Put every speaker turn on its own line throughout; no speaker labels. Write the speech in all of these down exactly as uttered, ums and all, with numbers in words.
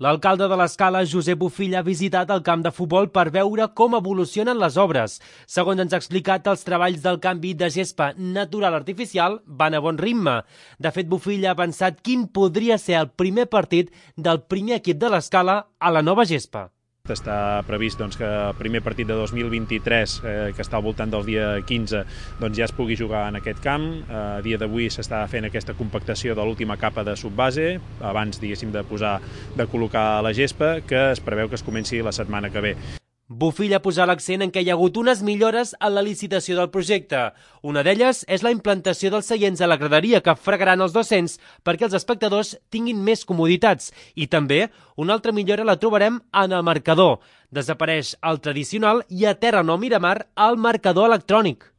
L'alcalde de l'Escala, Josep Bofill, ha visitat el camp de futbol per veure com evolucionen les obres. Segons ens ha explicat, els treballs del canvi de gespa natural artificial van a bon ritme. De fet, Bofill ha pensat quin podria ser el primer partit del primer equip de l'Escala a la nova gespa.
Està previst doncs, que el primer partit de dos mil vint-i-tres, eh, que està al voltant del dia quinze, doncs, ja es pugui jugar en aquest camp. Eh, a dia d'avui s'està fent aquesta compactació de l'última capa de subbase, abans diguéssim de posar de col·locar la gespa, que es preveu que es comenci la setmana que ve.
Bofill ha posat l'accent en què hi ha hagut unes millores a la licitació del projecte. Una d'elles és la implantació dels seients a la graderia que fregaran els docents perquè els espectadors tinguin més comoditats. I també una altra millora la trobarem en el marcador. Desapareix el tradicional i a terra no Miramar el marcador electrònic.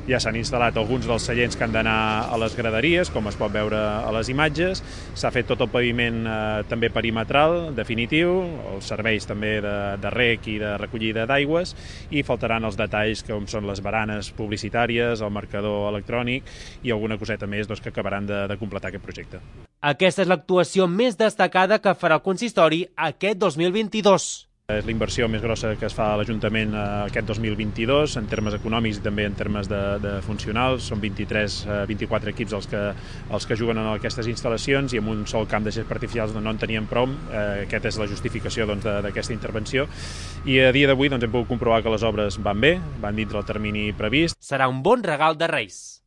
Ja s'han instal·lat alguns dels seients que han d'anar a les graderies, com es pot veure a les imatges. S'ha fet tot el paviment eh, també perimetral, definitiu, els serveis també de, de rec i de recollida d'aigües, i faltaran els detalls com són les baranes publicitàries, el marcador electrònic i alguna coseta més doncs, que acabaran de, de completar aquest projecte.
Aquesta és l'actuació més destacada que farà el consistori aquest dos mil vint-i-dos.
És la inversió més grossa que es fa a l'Ajuntament aquest dos mil vint-i-dos, en termes econòmics i també en termes de, de funcionals. Són vint-i-tres, vint-i-quatre equips els que, els que juguen en aquestes instal·lacions i amb un sol camp de gespa artificials no en teníem prou. Eh, aquesta és la justificació doncs, d'aquesta intervenció. I a dia d'avui doncs, hem pogut comprovar que les obres van bé, van dintre el termini previst.
Serà un bon regal de Reis.